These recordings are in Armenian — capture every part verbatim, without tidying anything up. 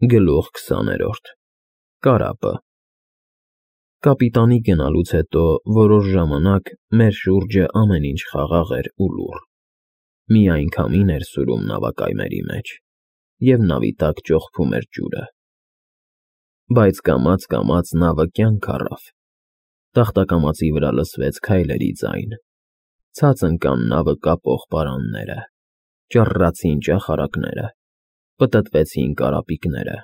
Գլուխ քսաներորդ Կարապը Կապիտանի գնալուց հետո որոշ ժամանակ մեր շուրջը ամեն ինչ խաղաղ էր ու լուռ, միայն քամին էր սուրում նավակայմերի մեջ, և նավի տակ ճոխփում էր ջուրը, բայց կամաց֊կամաց նավը կյանք առավ, տախտակամածի վրա լսվեց քայլերի ձայն, ցած ընկան նավը կապող պարանները, ճռռացին ճախարակները, պտտվեցին կարապիկները,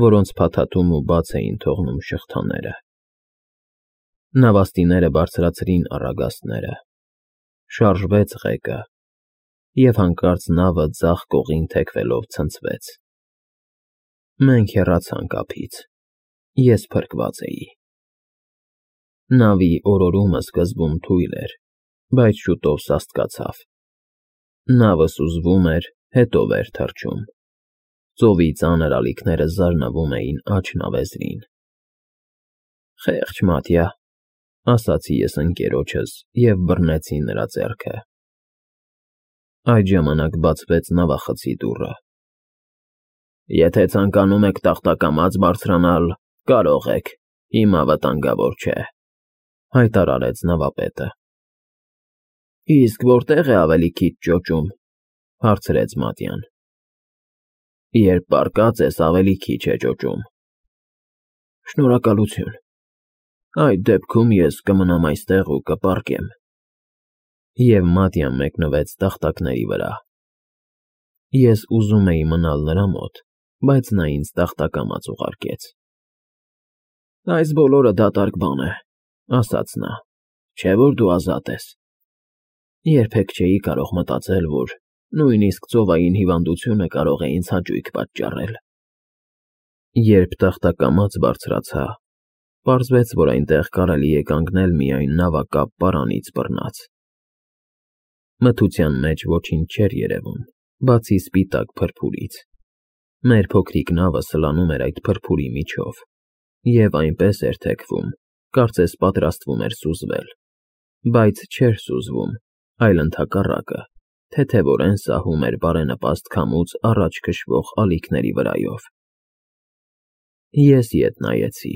որոնց փաթաթում ու բաց էին թողնում շղթաները, նավաստիները բարձրացրին առագաստները, շարժվեց ղեկը, և հանկարծ նավը ձախ կողին թեքվելով ցնցվեց, մենք հեռացանք ափից, ես փրկված էի, նավի օրորումը սկզբում թույլ էր, բայց շուտով սաստկացավ, նավը սուզվում էր, հետո վեր թռչում, ծովի ծանր ալիքները զարնվում էին աջ նավեզրին, խեղճ Մատյա, ասացի ես ընկերոջս և բռնեցի նրա ձեռքը, այդ ժամանակ բացվեց նավախցի դուռը, եթե ցանկանում եք տախտակամաց բարձրանալ, կարող եք, հիմա վտանգավոր չէ, հայտարարեց նավապետը, իսկ որտե՞ղ է ավելի քիչ ճոճում, հարցրեց Մատյան, երբ պառկած ես, ավելի քիչ է ճոճում, շնորհակալություն, այդ դեպքում ես կմնամ այստեղ ու կպառկեմ, և Մատյան մեկնվեց տախտակների վրա, ես ուզում էի մնալ նրա մոտ, բայց նա ինձ տախտակամաց ուղարկեց, այս բոլորը դատարկ բան է, ասաց նա, չէ՞ որ դու ազատ ես, երբեք չէի կարող մտածել, որ նույնիսկ ծովային հիվանդությունը կարող է ինձ հաճույք պատճառել, երբ տախտակամաց բարձրացա, պարզվեց, որ այնտեղ կարելի է կանգնել միայն նավակապ պարանից բռնած, մթության մեջ ոչինչ չէր երևում, բացի սպիտակ փրփուրից, մեր փոքրիկ նավը սլանում էր այդ փրփուրի միջով, և այնպես էր թեքվում, կարծես պատրաստվում էր սուզվել, բայց չէր սուզվում, այլ ընդհակառակը, թեթևորեն սահում էր բարենպաստ քամուց առաջ քշվող ալիքների վրայով, ես ետ նայեցի,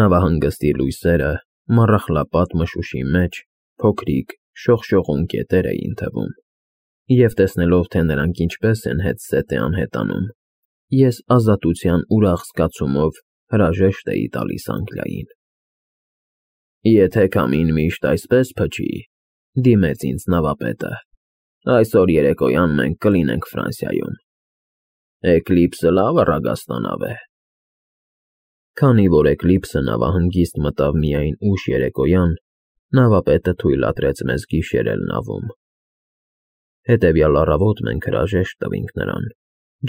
նավահանգստի լույսերը մառախլապատ մշուշի մեջ փոքրիկ շողշողուն կետեր էին թվում, և տեսնելով, թե նրանք ինչպես են հետզհետե անհետանում, ես ազատության ուրախ զգացումով հրաժեշտ էի տալիս Անգլիային։ Եթե քամին միշտ այսպես փչի, դիմեց ինձ նավապետը, այսօր երեկոյան մենք կլինենք Ֆրանսիայում, Էկլիպսը լավ առագաստանավ է։ Քանի որ Էկլիպսը նավահանգիստ մտավ միայն ուշ երեկոյան, նավապետը թույլատրեց մեզ գիշերել նավում։ Հետևյալ առավոտ մենք հրաժեշտ տվինք նրան,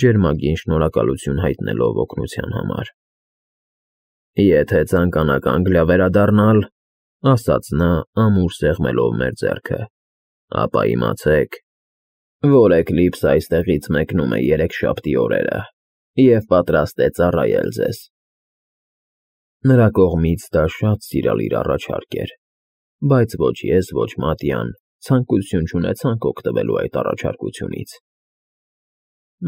ջերմագին շնորհակալություն հայտնելով օգնության համար։ Եթե ցանկանաք Անգլիա վերադառնալ, ասաց նա ամուր սեղմելով մեր ձեռքը, ապա իմացեք, որ Էկլիպսը այստեղից մեկնում է երեքշաբթի օրերը և պատրաստ է ծառայել ձեզ։ Նրա կողմից դա շատ սիրալիր առաջարկ էր, բայց ոչ ես, ոչ Մատյան ցանկություն չունեցանք օգտվելու այդ առաջարկությունից։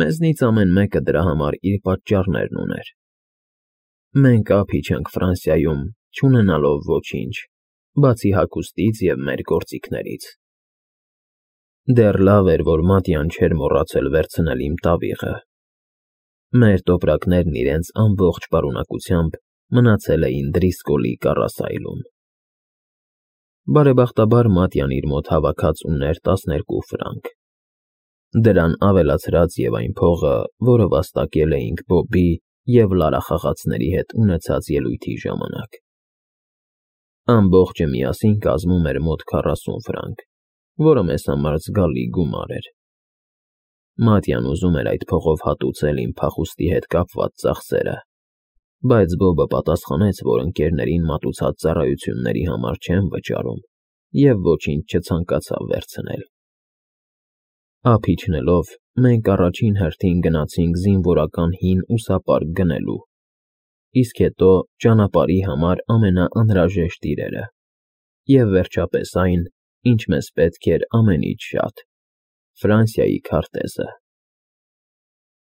Մեզնից ամեն մեկը դրա համար իր պատճառներն ուներ։ Մենք ափ իջանք Ֆրանսիայում, չունենալով ոչինչ, բացի հագուստից և մեր գործիքներից։ Դեռ լավ էր, որ Մատյան չէր մոռացել վերցնել իմ տավիղը։ Մեր տոպրակներն իրենց ամբողջ պարունակությամբ մնացել էին Դրիսկոլի կառասայլում։ Բարեբախտաբար Մատյան իր մոտ հավաքած ուներ տասներկու ֆրանկ։ Դրան ավելացրած և այն փողը, որը վաստակել էինք Բոբի և Լարա խաղացների հետ ունեցած ելույթի ժամանակ։ Ամբողջը միասին կազմում էր մոտ քառասուն ֆրանկ, որը մեզ համար զգալի գումար էր։ Մատյան ուզում էր այդ փողով հատուցել իմ փախուստի հետ կապված ծախսերը, բայց Բոբը պատասխանեց, որ ընկերներին մատուցած ծառայությունների համար չեն վճարում և ոչինչ չցանկացավ վերցնել։ Ափ իջնելով, մենք առաջին հերթին գնացինք զինվորական հին ուսապարկ գնելու, իսկ հետո ճանապարհի համար ամենաանհրաժեշտ իրերը, և վերջապես այն, ինչ մեզ պետք էր ամենից շատ՝ Ֆրանսիայի քարտեզը։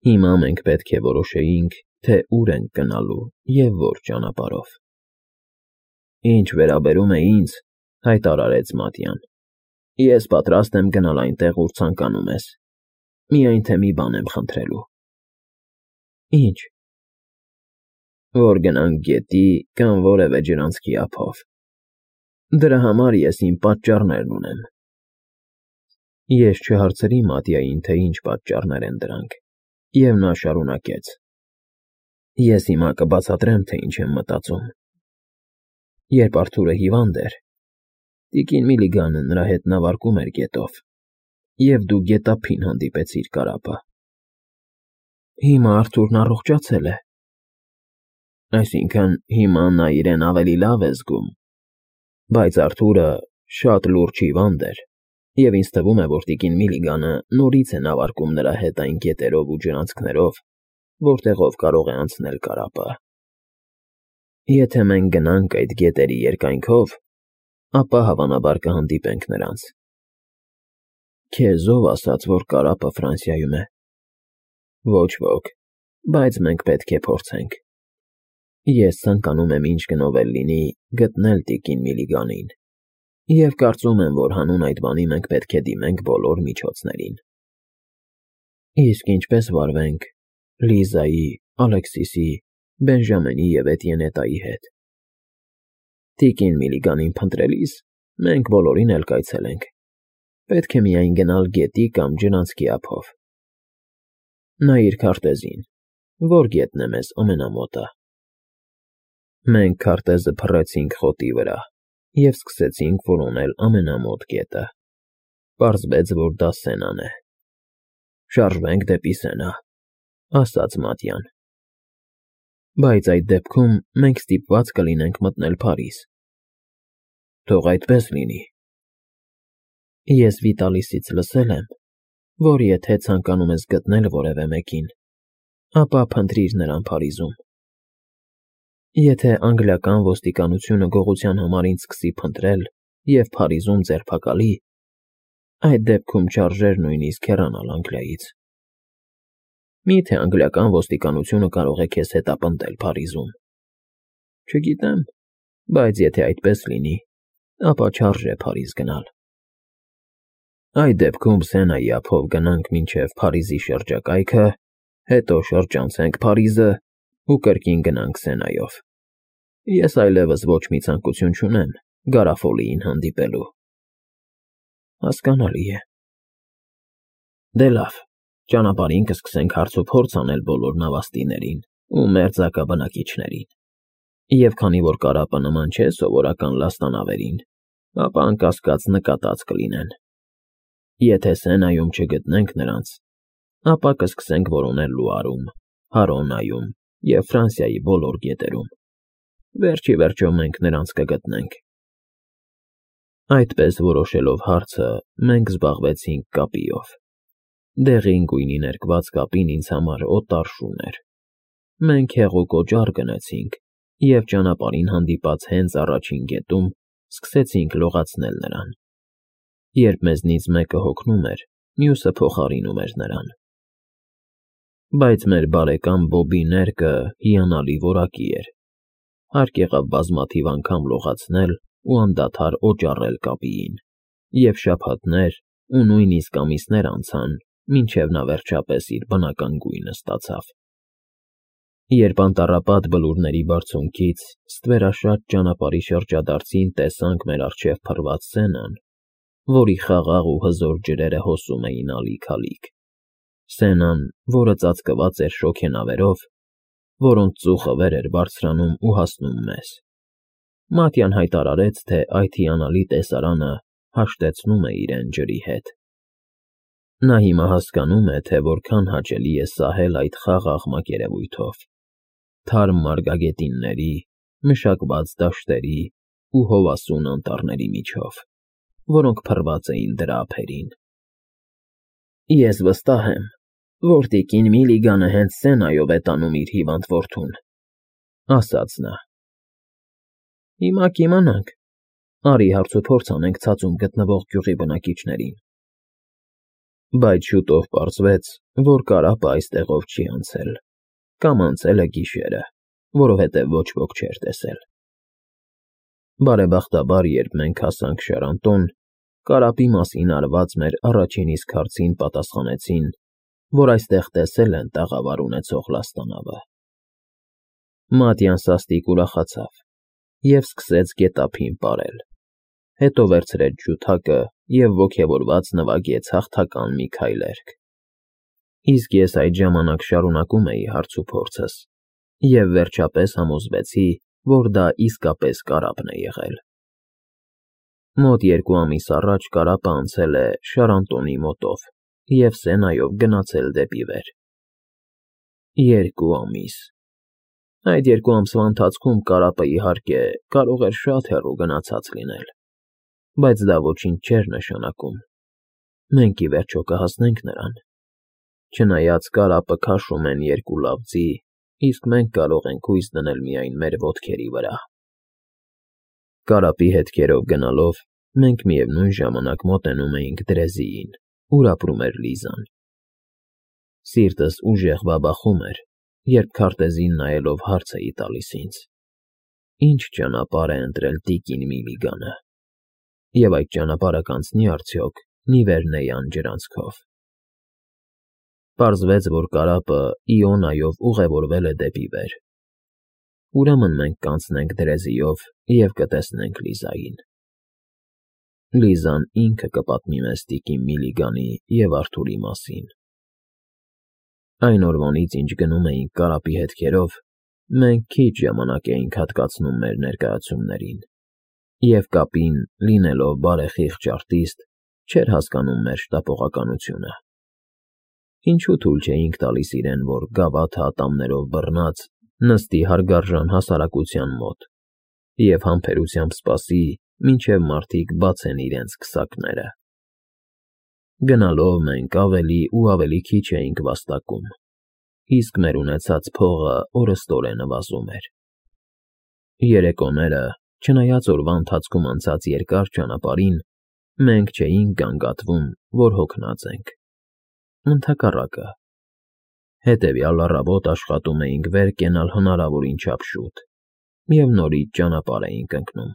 Հիմա մենք պետք է որոշեինք, թե ուր ենք գնալու և որ ճանապարհով։ Ինչ վերաբերում է ինձ, հայտարարեց Մատյան, ես պատրաստ եմ գնալ այնտեղ, ուր ցանկանում ես, միայն թե մի բան եմ խնդրելու։ Ինչ։ Որ գնանք գետի կամ որևէ ջրանցքի ափով։ Դրա համար ես իմ պատճառներն ունեմ։ Ես չհարցրի Մատյային, թե ինչ պատճառներ են դրանք, և նա շարունակեց. Ես հիմա կբացատրեմ, թե ինչ եմ մտածում։ Երբ Արթուրը հիվանդ էր, տիկին Միլիգանը նրա հետ նավարկում էր գետով, և դու գետափին հանդիպեցիր կարապը։ Հիմա Արթուրն առողջացել է։ Այսինքն՝ հիմա նա իրեն ավելի լավ է զգում, բայց Արթուրը շատ լուրջ հիվանդ էր, և ինձ թվում է, որ տիկին Միլիգանը նորից է նավարկում նրա հետ այն գետերով ու ջրանցքներով, որտեղով կարող է անցնել կարապը։ Եթե մենք գնանք այդ գետերի երկայնքով, ապա հավանաբար կհանդիպենք նրանց։ Քեզ ո՞վ ասաց, որ կարապը Ֆրանսիայում է։ Ոչ ոք, բայց մենք պետք է փորձենք։ Ես ցանկանում եմ ինչ գնով էլ լինի գտնել տիկին Միլիգանին, և կարծում եմ, որ հանուն այդ բանի մենք պետք է դիմենք բոլոր միջոցներին։ Իսկ ինչպե՞ս վարվենք Լիզայի, Ալեքսիսի, Բենժամինի և Էտիենետայի հետ։ Տիկին Միլիգանին փնտրելիս մենք բոլորին էլ կայցելենք, պետք է միայն գնալ գետի կամ ջրանցքի ափով։ Նայիր քարտեզին, որ գետն է մեզ ամենամոտը։ Մենք քարտեզը փռեցինք խոտի վրա և սկսեցինք որոնել ամենամոտ գետը։ Պարզվեց, որ դա Սենան է։ Շարժվենք դեպի Սենա, ասաց Մատյան։ Բայց այդ դեպքում մենք ստիպված կլինենք մտնել Փարիզ։ Թող այդպես լինի։ Ես Վիտալիսից լսել եմ, որ եթե ցանկանում ես գտնել որևէ մեկին, ապա փնտրիր նրան Փարիզում։ Եթե անգլիական ոստիկանությունը գողության համար ինձ սկսի փնտրել և Փարիզում ձերբակալի, այդ դեպքում չարժեր նույնիսկ հեռանալ Անգլիայից։ Մի՞թե անգլիական ոստիկանությունը կարող է քեզ հետապնդել Փարիզում։ Չգիտեմ, բայց եթե այդպես լինի, ապա չարժե Փարիզ գնալ։ Այդ դեպքում Սենայի ափով գնանք մինչև Փարիզի շրջակայքը, հետո շրջանցենք Փարիզը ու կրկին գնանք Սենայով։ Ես այլևս ոչ մի ցանկություն չունեմ Գարաֆոլիին հանդիպելու։ Հասկանալի է։ Դե լավ, ճանապարհին կսկսենք հարցուփորձ անել բոլոր նավաստիներին ու մերձակա բնակիչներին, և քանի որ կարապը նման չէ սովորական լաստանավերին, ապա անկասկած նկատած կլինեն։ Եթե Սենայում չգտնենք նրանց, ապա կսկսենք որոնել Լուարում, Հարոնայում և Ֆրանսիայի բոլոր գետերում։ Վերջ ի վերջո մենք նրանց կգտնենք։ Այդպես որոշելով հարցը, մենք զբաղվեցինք կապիով։ Դեղին գույնի ներկված կապին ինձ համար օտար շուն էր։ Մենք հեղուկ օճառ գնեցինք և ճանապարհին հանդիպած հենց առաջին գետում սկսեցինք լողացնել նրան։ Երբ մեզնից մեկը հոգնում էր, մյուսը փոխարինում էր նրան։ Բայց մեր բարեկամ Բոբի ներկը հիանալի որակի էր։ Հարկ եղավ բազմաթիվ անգամ լողացնել ու անդադար օճառել կապիին, և շաբաթներ ու նույնիսկ ամիսներ անցան, մինչև նա վերջապես իր բնական գույնը ստացավ։ Երբ անտառապատ բլուրների բարձունքից ստվերաշատ ճանապարհի շրջադարձին տեսանք մեր առջև փռված Սենան, որի խաղաղ ու հզոր ջրերը հոսում էին ալիք֊ալիք, Սենան, որը ծածկված էր շոգենավերով, որոնց ծուխը վեր էր բարձրանում ու հասնում մեզ, Մատյան հայտարարեց, թե այդ հիանալի տեսարանը հաշտեցնում է իրեն ջրի հետ։ Նա հիմա հասկանում է, թե որքան հաճելի է սահել այդ խաղաղ մակերևույթով, թարմ մարգագետինների, մշակված դաշտերի ու հովասուն անտառների միջով, որոնք փռված էին դրա ափերին։ Ես վստահ եմ, որ տիկին Միլիգանը հենց Սենայով է տանում իր հիվանդ որդուն, ասաց նա։ Հիմա կիմանանք։ Արի հարցուփորձ անենք ցածում գտնվող գյուղի բնակիչներին։ Բայց շուտով պարզվեց, որ կարապը այստեղով չի անցել, կամ անցել է գիշերը, որովհետև ոչ ոք չէր տեսել։ Բարեբախտաբար, երբ մենք հասանք Շարանտոն, կարապի մասին արված մեր առաջին իսկ հարցին պատասխանեցին, որ այստեղ տեսել են տաղավար ունեցող լաստանավը։ Մատյան սաստիկ ուրախացավ և սկսեց գետափին պարել, հետո վերցրեց ջութակը և ոգևորված նվագեց հաղթական մի քայլերգ։ Իսկ ես այդ ժամանակ շարունակում էի հարցուփորձս և վերջապես համոզվեցի, որ դա իսկապես կարապն է եղել։ Մոտ երկու ամիս առաջ կարապը անցել է Շարանտոնի մոտով և Սենայով գնացել դեպի վեր։ Երկու ամիս… Այդ երկու ամսվա ընթացքում կարապը, իհարկե, կարող էր շատ հեռու գնացած լինել, բայց դա ոչինչ չէր նշանակում։ Մենք, ի վերջո, կհասնենք նրան։ Չնայած կարապը քաշում են երկու լավ ձի, իսկ մենք կարող ենք հույս դնել միայն մեր ոտքերի վրա։ Կարապի հետքերով գնալով մենք միևնույն ժամանակ մոտենում էինք Դրեզիին, ուր ապրում էր Լիզան։ Սիրտս ուժեղ բաբախում էր, երբ քարտեզին նայելով հարց էի տալիս ինձ. ի՞նչ ճանապարհ է ընտրել տիկին Միլիգանը, և այդ ճանապարհը կանցնի՞ արդյոք Նիվերնեյան ջրանցքով։ Պարզվեց, որ կարապը Իոնայով ուղևորվել է դեպի վեր։ Ուրեմն մենք կանցնենք Դրեզիով և կտեսնենք Լիզային։ Լիզան ինքը կպատմի մեզ տիկին Միլիգանի և Արթուրի մասին։ Այն օրվանից, ինչ գնում էինք կարապի հետքերով, մենք քիչ ժամանակ էինք հատկացնում մեր ներկայացումներին, և կապին, լինելով բարեխիղճ արտիստ, չէր հասկանում մեր շտապողականությունը։ Ինչու թույլ չէինք տալիս իրեն, որ գավաթը ատամներով բռնած նստի հարգարժան հասարակության մոտ և համբերությամբ սպասի, մինչև մարդիկ բացեն իրենց քսակները։ Գնալով մենք ավելի ու ավելի քիչ էինք վաստակում, իսկ մեր ունեցած փողը օրըստօրե նվազում էր։ Երեկոները, չնայած օրվա ընթացքում անցած երկար ճանապարհին, մենք չէինք գանգատվում, որ հոգնած ենք։ Ընդհակառակը, հետևյալ առավոտ աշխատում էինք վեր կենալ հնարավորին չափ շուտ և նորից ճանապարհ էինք ընկնում։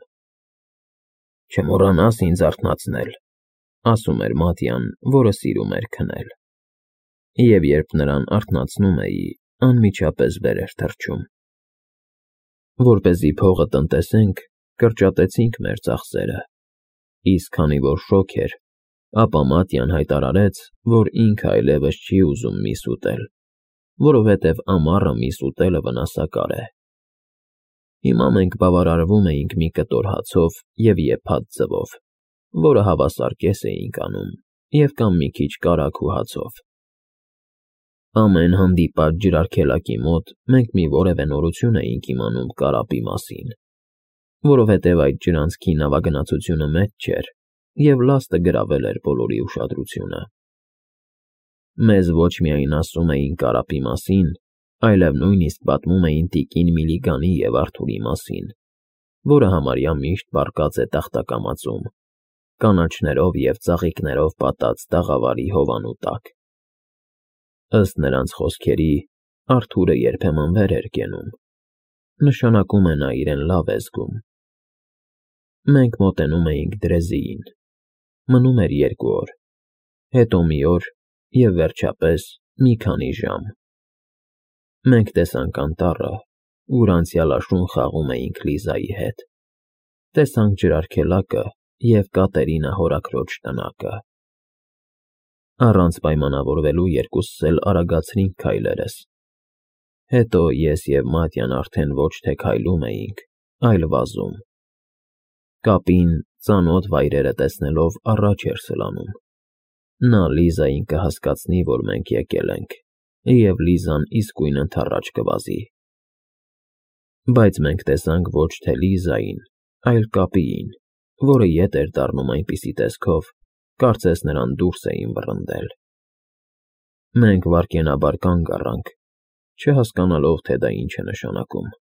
«Չմոռանաս ինձ արթնացնել», ֊ ասում էր Մատյան, որը սիրում էր քնել։ Եվ երբ նրան արթնացնում էի, անմիջապես վեր էր թռչում։ Որպեսզի փողը տնտեսենք, կրճատեցինք մեր ծախսերը, իսկ քանի որ շոգ էր, ապա Մատյան հայտարարեց, որ ինքը այլևս չի ուզում միս ուտել, որովհետև ամառը միս ուտելը վնասակար է։ Հիմա մենք բավարարվում էինք մի կտոր հացով և եփած ձվով, որը հավասար կես էինք անում, և կամ մի քիչ կարագ ու հացով։ Ամեն հանդիպած ջրարգելակի մոտ մենք մի որևէ նորություն էինք իմանում կարապի մասին, որովհետև այդ ջրանցքի նավագնացությունը մեծ չէր, և լաստը գրավել էր բոլորի ուշադրությունը։ Մեզ ոչ միայն ասում էին կարապի մասին, այլև նույնիսկ պատմում էին տիկին Միլիգանի և Արթուրի մասին, որը համարյա միշտ պառկած է տախտակամածում, կանաչներով և ծաղիկներով պատած տաղավարի հովանու տակ։ Ըստ նրանց խոսքերի, Արթուրը երբեմն վեր էր կենում, նշանակում է նա իրեն լավ է զգում։ Մենք մոտենում էինք Դրեզիին։ Մնում էր երկու օր, հետո մի օր և, վերջապես, մի քանի ժամ։ Մենք տեսանք անտառը, ուր անցյալաշուն խաղում էինք Լիզայի հետ, տեսանք ջրարգելակը և Կատերինա հորաքրոջ տնակը։ Առանց պայմանավորվելու երկուսս էլ արագացրինք քայլերս։ Հետո ես և Մատյան արդեն ոչ թե քայլում էինք, այլ վազում։ Կապին, ծանոթ վայրերը տեսնելով, առաջ էր սլանում։ Նա Լիզային կհասկացնի, որ մենք եկել ենք, և Լիզան իսկույն ընդառաջ կվազի։ Բայց մենք տեսանք ոչ թե Լիզային, այլ Կապիին, որը ետ էր դառնում այնպիսի տեսքով, կարծես նրան դուրս էին վռնդել։ Մենք վայրկենաբար կանգ առանք, չհասկանալով, թե դա ինչ է նշանակում։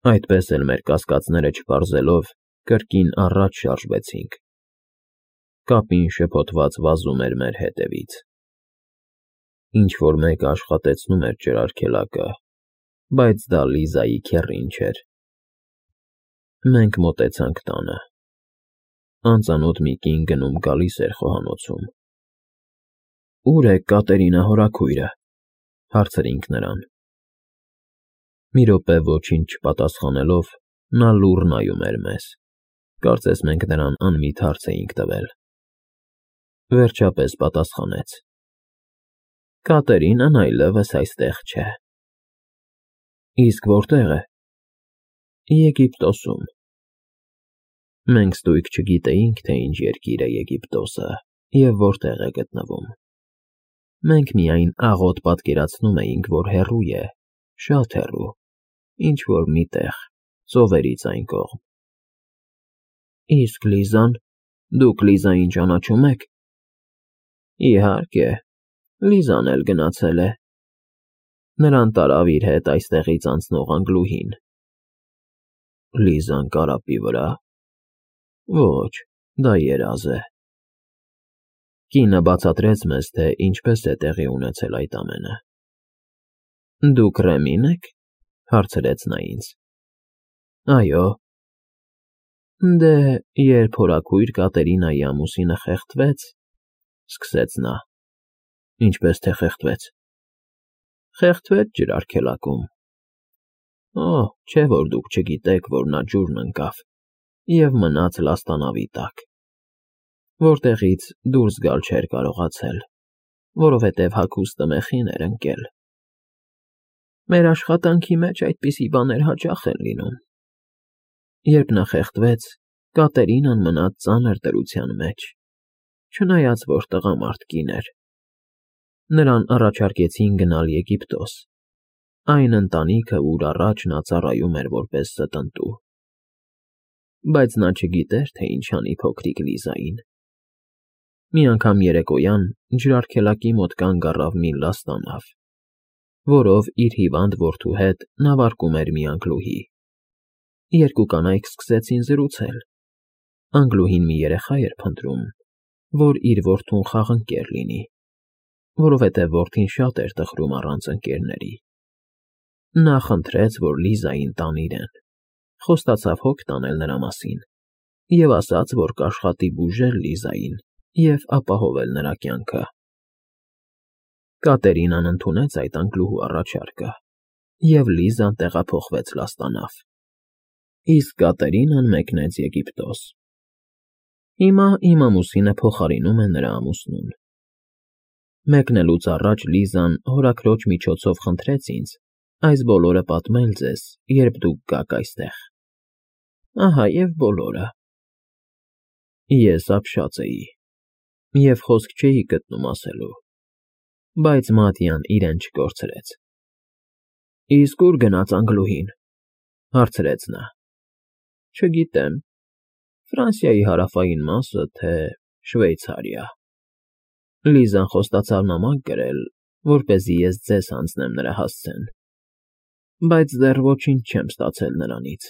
Այդպես էլ մեր կասկածները չպարզելով, կրկին առաջ շարժվեցինք։ կապին շփոթված վազում էր մեր հետևից։ Ինչ-որ մեկը աշխատեցնում էր ջրարգելակը, բայց դա Լիզայի քեռին չէր։ Մենք մոտեցանք տանը։ Անծանոթ մի կին գնում֊գալիս էր խոհանոցում։ «Ո՞ւր է Կատերինա հորաքույրը», հարցրինք նրան։ Մի րոպե ոչինչ չպատասխանելով, նա լուռ նայում էր մեզ, կարծես մենք նրան անմիտ հարց էինք տվել։ Վերջապես պատասխանեց. «Կատերինան այլևս այստեղ չէ»։ «Իսկ որտե՞ղ է»։ «Եգիպտոսում»։ Մենք ստույգ չգիտեինք, թե ինչ երկիր է Եգիպտոսը և որտեղ է գտնվում։ Մենք միայն աղոտ պատկերացնում էինք, որ հեռու է, շատ հեռու, ինչ֊որ մի տեղ, ծովերից այն կողմ։ «Իսկ Լիզան, դուք Լիզային ճանաչում եք»։ «Իհարկե, Լիզան էլ գնացել է։ Նրան տարավ իր հետ այստեղից անցնող անգլուհին»։ «Լիզան կարապի վրա»։ «Ոչ, դա երազ է»։ Կինը բացատրեց մեզ, թե ինչպես է տեղի ունեցել այդ ամենը։ «Դուք Ռեմի՞ն եք», հարցրեց նա ինձ։ «Այո»։ «Դե, երբ հորաքույր Կատերինայի ամուսինը խեղդվեց», սկսեց նա։ «Ինչպես թե խեղդվեց»։ «Խեղդվեց ջրարգելակում։ Օ, չէ՞ որ դուք չգիտեք, որ նա ջուրն ընկավ և մնաց լաստանավի տակ, որտեղից դուրս գալ չէր կարողացել, որովհետև հագուստը մեխին էր ընկել։ Մեր աշխատանքի մեջ այդպիսի բաներ հաճախ են լինում։ Երբ նա խեղդվեց, Կատերինան մնաց ծանր դրության մեջ, չնայած որ տղամարդ կին էր։ Նրան առաջարկեցին գնալ Եգիպտոս, այն ընտանիքը, ուր առաջ նա ծառայում էր որպես ստընտու։ Բայց նա չգիտեր, թե ինչ անի փոքրիկ Լիզային։ Մի անգամ երեկոյան ջրարգելակի մոտ կանգ առավ մի լաստանավ, որով իր հիվանդ որդու հետ նավարկում էր մի անգլուհի։ Երկու կանայք սկսեցին զրուցել։ Անգլուհին մի երեխա էր փնտրում, որ իր որդուն խաղընկեր լինի, որովհետև որդին շատ էր տխրում առանց ընկերների։ Նա խնդրեց, որ Լիզային տան իրեն, խոստացավ հոգ տանել նրա մասին և ասաց, որ կաշխատի բուժել Լիզային և ապահովել նրա կյանքը։ Կատերինան ընդունեց այդ անգլուհու առաջարկը, և Լիզան տեղափոխվեց լաստանավ, իսկ Կատերինան մեկնեց Եգիպտոս։ Հիմա իմ ամուսինը փոխարինում է նրա ամուսնուն։ Մեկնելուց առաջ Լիզան հորաքրոջ միջոցով խնդրեց ինձ այս բոլորը պատմել ձեզ, երբ դուք գաք այստեղ։ Ահա և բոլորը։ Ես ապշած էի և խոսք չէի գտնում ասելու, բայց Մատյան իրեն չկորցրեց։ «Իսկ ո՞ւր գնաց անգլուհին», հարցրեց նա։ «Չգիտեմ, Ֆրանսիայի հարավային մասը, թե Շվեյցարիա։ Լիզան խոստացավ նամակ գրել, որպեսզի ես ձեզ հանձնեմ նրա հասցեն, բայց դեռ ոչինչ չեմ ստացել նրանից»։